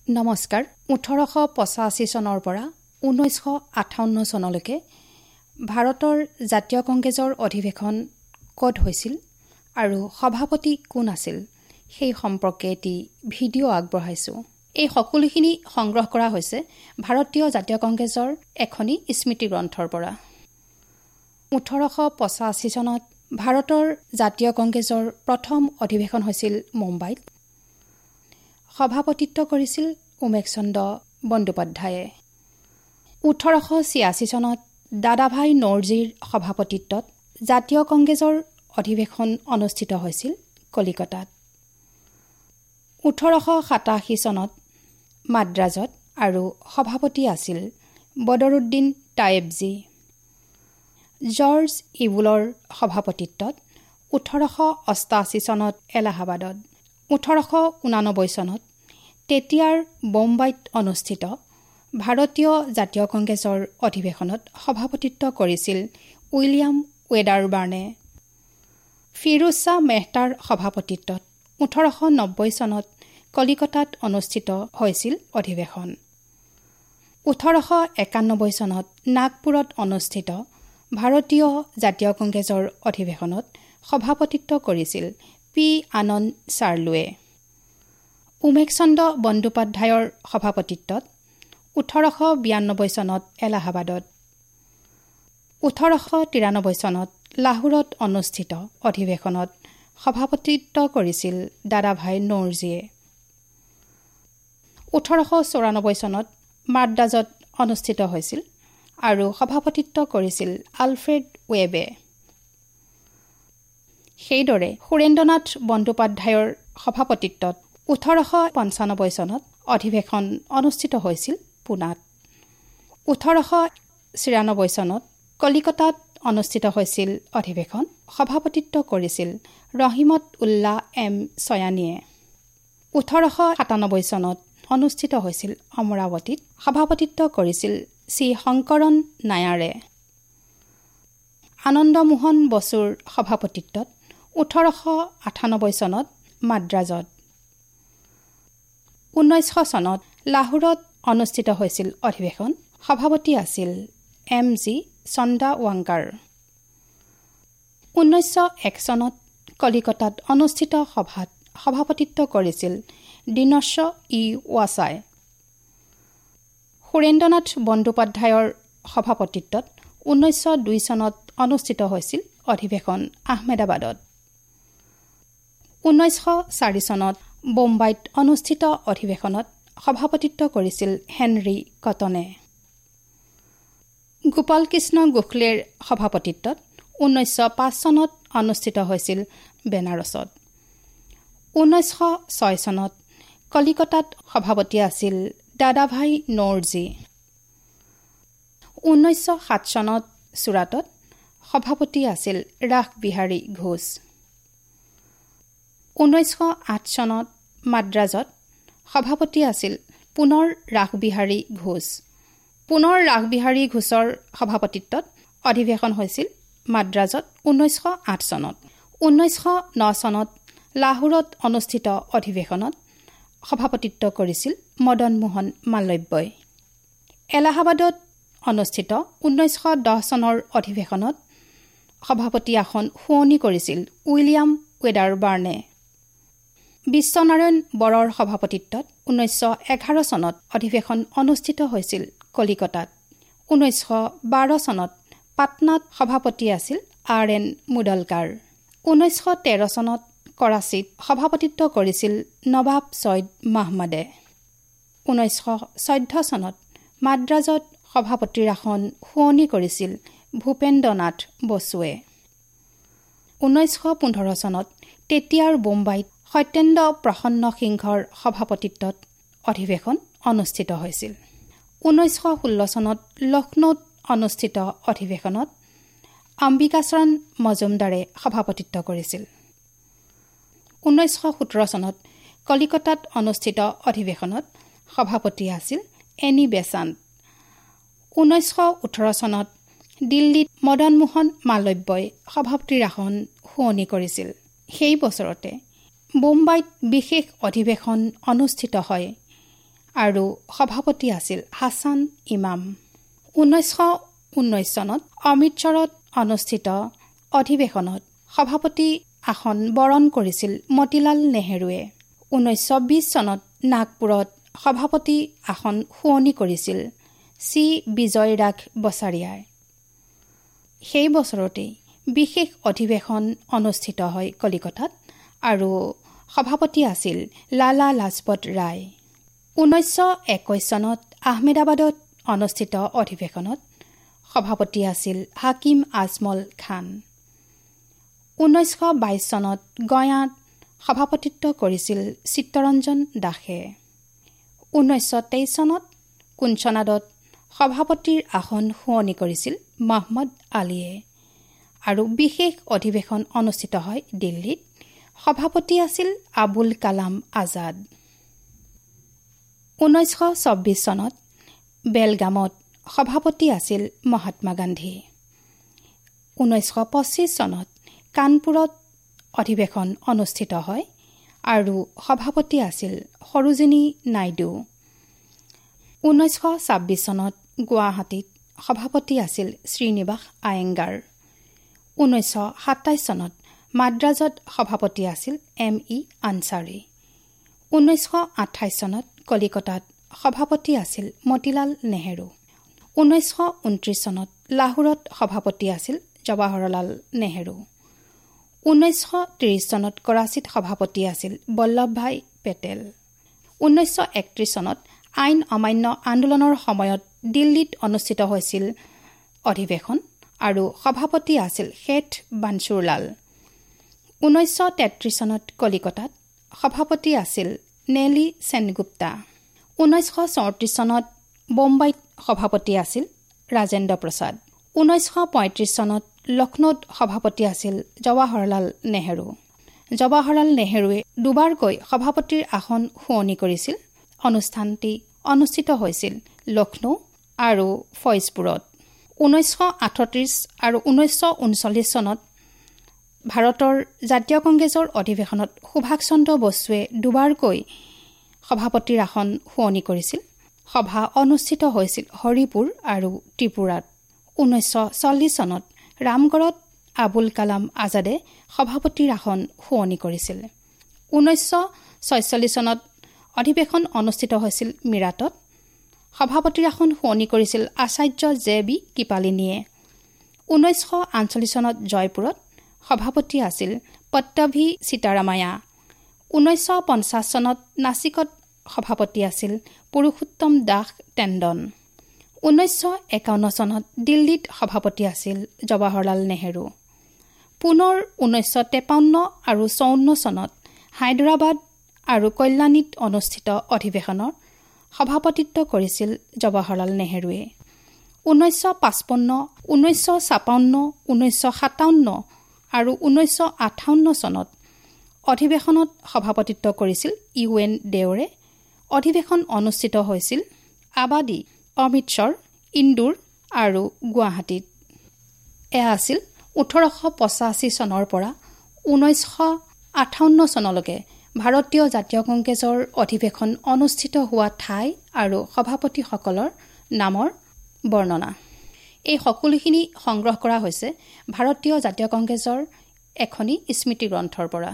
নমস্কাৰ। 1885 চনৰ পৰা 1958 চনলৈকে ভাৰতৰ জাতীয় কংগ্ৰেছৰ অধিৱেশন ক'ত হৈছিল আৰু সভাপতি কোন আছিল সেই সম্পৰ্কে এটি ভিডিঅ' আগবঢ়াইছোঁ। এই সকলোখিনি সংগ্ৰহ কৰা হৈছে ভাৰতীয় জাতীয় কংগ্ৰেছৰ এখনি স্মৃতিগ্ৰন্থৰ পৰা। 1885 চনত ভাৰতৰ জাতীয় কংগ্ৰেছৰ প্ৰথম অধিৱেশন হৈছিল মুম্বাইত। সভাপতিত্ব কৰিছিল উমেশ চন্দ্ৰ বন্দ্যোপাধ্যায়ে। 1886 চনত দাদাভাই নৌৰজীৰ সভাপতিত্বত জাতীয় কংগ্ৰেছৰ অধিৱেশন অনুষ্ঠিত হৈছিল কলিকতাত। 1887 চনত মাদ্ৰাজত আৰু সভাপতি আছিল বদৰুদ্দিন টায়েবজী। জৰ্জ ইবুলৰ সভাপতিত্বত 1888 চনত এলাহাবাদত। 1889 চনত তেতিয়াৰ বোম্বাইত অনুষ্ঠিত ভাৰতীয় জাতীয় কংগ্ৰেছৰ অধিৱেশনত সভাপতিত্ব কৰিছিল উইলিয়াম ৱেডাৰবাৰ্নে। ফিৰোজ শ্বাহ মেহতাৰ সভাপতিত্বত 1890 চনত কলিকতাত অনুষ্ঠিত হৈছিল অধিৱেশন। 1891 চনত নাগপুৰত অনুষ্ঠিত ভাৰতীয় জাতীয় কংগ্ৰেছৰ অধিৱেশনত সভাপতিত্ব কৰিছিল পি আনন্দ চাৰ্লুৱে। উমেশ চন্দ্ৰ বন্দ্যোপাধ্যায়ৰ সভাপতিত্বত 1892 চনত এলাহাবাদত। 1893 চনত লাহোৰত অনুষ্ঠিত অধিৱেশনত সভাপতিত্ব কৰিছিল দাদাভাই নৌৰজীয়ে। 1894 চনত মাদ্ৰাজত অনুষ্ঠিত হৈছিল আৰু সভাপতিত্ব কৰিছিল আলফ্ৰেড ৱেবে। সেইদৰে সুৰেন্দ্ৰনাথ বন্দ্যোপাধ্যায়ৰ সভাপতিত্বত 1895 চনত অধিৱেশন অনুষ্ঠিত হৈছিল পুনাত। 1896 চনত কলিকতাত অনুষ্ঠিত হৈছিল অধিৱেশন। সভাপতিত্ব কৰিছিল ৰহিমত উল্লাহ এম চয়ানীয়ে। 1897 চনত অনুষ্ঠিত হৈছিল অমৰাৱতীত। সভাপতিত্ব কৰিছিল চি শংকৰণ নায়াৰে। আনন্দমোহন বসুৰ সভাপতিত্বত 1898 চনত মাদ্ৰাজত। 1900 চনত লাহোৰত অনুষ্ঠিত হৈছিল অধিৱেশন। সভাপতি আছিল এম জি চন্দাৱাংকাৰ। 1901 চনত কলিকতাত অনুষ্ঠিত সভাত সভাপতিত্ব কৰিছিল দীনশ্ব ই ৱাছাই। সুৰেন্দ্ৰনাথ বন্দ্যোপাধ্যায়ৰ সভাপতিত্বত 1902 চনত অনুষ্ঠিত হৈছিল অধিৱেশন আহমেদাবাদত। 1904 চনত বোম্বাইত অনুষ্ঠিত অধিৱেশনত সভাপতিত্ব কৰিছিল হেনৰী কটনে। গোপালকৃষ্ণ গোখলেৰ সভাপতিত্বত 1905 চনত অনুষ্ঠিত হৈছিল বেনাৰসত। 1906 চনত কলিকতাত সভাপতি আছিল দাদাভাই নৌৰজী। 1907 চনত চুৰাটত সভাপতি আছিল ৰাসবিহাৰী ঘোষ। 1908 চনত মাদ্ৰাজত সভাপতি আছিল পুনৰ ৰাসবিহাৰী ঘোষ। পুনৰ ৰাসবিহাৰী ঘোষৰ সভাপতিত্বত অধিৱেশন হৈছিল মাদ্ৰাজত 1908 চনত। 1909 চনত লাহোৰত অনুষ্ঠিত অধিৱেশনত সভাপতিত্ব কৰিছিল মদন মোহন মালব্যই। এলাহাবাদত অনুষ্ঠিত 1910 চনৰ অধিৱেশনত সভাপতি আসন শুৱনি কৰিছিল উইলিয়াম ৱেডাৰবাৰ্নে। বিশ্বনাৰায়ণ বৰৰ সভাপতিত্বত 1911 চনত অধিৱেশন অনুষ্ঠিত হৈছিল কলিকতাত। 1912 চনত পাটনাত সভাপতি আছিল আৰ এন মুদলকাৰ। 1913 চনত কৰাচীত সভাপতিত্ব কৰিছিল নৱাব ছৈয়দ মাহমুদে। 1914 চনত মাদ্ৰাজত সভাপতিৰ আসন শুৱনি কৰিছিল ভূপেন্দ্ৰনাথ বসুৱে। 1915 চনত তেতিয়াৰ বোম্বাইত সত্যেন্দ্ৰ প্ৰসন্ন সিংহৰ সভাপতিত্বত অধিৱেশন অনুষ্ঠিত হৈছিল। 1916 চনত লক্ষ্ণৌত অনুষ্ঠিত অধিৱেশনত অম্বিকাচৰণ মজুমদাৰে সভাপতিত্ব কৰিছিল। 1917 চনত কলিকতাত অনুষ্ঠিত অধিৱেশনত সভাপতি আছিল এনি বেছান্ত। 1918 চনত দিল্লীত মদন মোহন মালব্যই সভাপতিৰ আসন শুৱনি কৰিছিল। সেই বছৰতে বোম্বাইত বিশেষ অধিৱেশন অনুষ্ঠিত হয় আৰু সভাপতি আছিল হাছান ইমাম। 1919 চনত অমৃতসৰত অনুষ্ঠিত অধিৱেশনত সভাপতি আসন বৰণ কৰিছিল মতিলাল নেহেৰুৱে। 1920 চনত নাগপুৰত সভাপতি আসন শুৱনি কৰিছিল চি বিজয় ৰাঘ বছাৰিয়াই। সেই বছৰতেই বিশেষ অধিৱেশন অনুষ্ঠিত হয় কলিকতাত আৰু সভাপতি আছিল লালা লাজপত ৰায়। 1921 চনত আহমেদাবাদত অনুষ্ঠিত অধিৱেশনত সভাপতি আছিল হাকিম আজমল খান। 1922 চনত গয়াত সভাপতিত্ব কৰিছিল চিত্তৰঞ্জন দাসে। 1923 চনত কুঞ্চনাদত সভাপতিৰ আসন শুৱনি কৰিছিল মহম্মদ আলীয়ে আৰু বিশেষ অধিৱেশন অনুষ্ঠিত হয় দিল্লীত। সভাপতি আছিল আবুল কালাম আজাদ। 1924 চনত বেলগামত সভাপতি আছিল মহাত্মা গান্ধী। 1925 চনত কানপুৰত অধিৱেশন অনুষ্ঠিত হয় আৰু সভাপতি আছিল সৰোজিনী নাইডু। 1926 চনত গুৱাহাটীত সভাপতি আছিল শ্ৰীনিবাস আয়েংগাৰ। 1927 চনত মাদ্ৰাজত সভাপতি আছিল এম ই আনচাৰী। 1928 চনত কলিকতাত সভাপতি আছিল মতিলাল নেহেৰু। 1929 চনত লাহোৰত সভাপতি আছিল জৱাহৰলাল নেহেৰু। 1930 চনত কৰাচীত সভাপতি আছিল বল্লভভাই পেটেল। 1931 চনত আইন অমান্য আন্দোলনৰ সময়ত দিল্লীত অনুষ্ঠিত হৈছিল অধিৱেশন আৰু সভাপতি আছিল শেঠ বানচুৰলাল। 1933 চনত কলিকতাত সভাপতি আছিল নেলি সেনগুপ্তা। 1934 চনত বোম্বাইত সভাপতি আছিল ৰাজেন্দ্ৰ প্ৰসাদ। 1935 চনত লক্ষ্ণৌত সভাপতি আছিল জৱাহৰলাল নেহেৰু। জৱাহৰলাল নেহেৰুৱে দুবাৰকৈ সভাপতিৰ আসন শুৱনি কৰিছিল। অনুষ্ঠানটি অনুষ্ঠিত হৈছিল লক্ষ্ণৌ আৰু ফৈজপুৰত। 1938 আৰু 1939 চনত ভাৰতৰ জাতীয় কংগ্ৰেছৰ অধিৱেশনত সুভাষ চন্দ্ৰ বসুৱে দুবাৰকৈ সভাপতিৰ আসন শুৱনি কৰিছিল। সভা অনুষ্ঠিত হৈছিল হৰিপুৰ আৰু ত্ৰিপুৰাত। 1940 চনত ৰামগড়ত আবুল কালাম আজাদে সভাপতিৰ আসন শুৱনি কৰিছিল। 1946 চনত অধিৱেশন অনুষ্ঠিত হৈছিল মিৰাটত। সভাপতিৰ আসন শুৱনি কৰিছিল আচাৰ্য জে বি কৃপালিনীয়ে। 1948 চনত জয়পুৰত সভাপতি আছিল পট্টভি সীতাৰামায়া। 1950 চনত নাছিকত সভাপতি আছিল পুৰুষোত্তম দাস টেণ্ডন। 1951 চনত দিল্লীত সভাপতি আছিল জৱাহৰলাল নেহেৰু। পুনৰ 1953 আৰু 1954 চনত হায়দৰাবাদ আৰু কল্যাণীত অনুষ্ঠিত অধিৱেশনৰ সভাপতিত্ব কৰিছিল জৱাহৰলাল নেহেৰুৱে। 1955, 1956, 1957 আৰু 1958 চনত অধিৱেশনত সভাপতিত্ব কৰিছিল ইউ এন দেওৰে। অধিৱেশন অনুষ্ঠিত হৈছিল আবাদী, অমৃতসৰ, ইন্দোৰ আৰু গুৱাহাটীত। এয়া আছিল 1885 চনৰ পৰা 1958 চনলৈকে ভাৰতীয় জাতীয় কংগ্ৰেছৰ অধিৱেশন অনুষ্ঠিত হোৱা ঠাই আৰু সভাপতিসকলৰ নামৰ বৰ্ণনা। এই সকলোখিনি সংগ্ৰহ কৰা হৈছে ভাৰতীয় জাতীয় কংগ্ৰেছৰ এখনি স্মৃতিগ্ৰন্থৰ পৰা।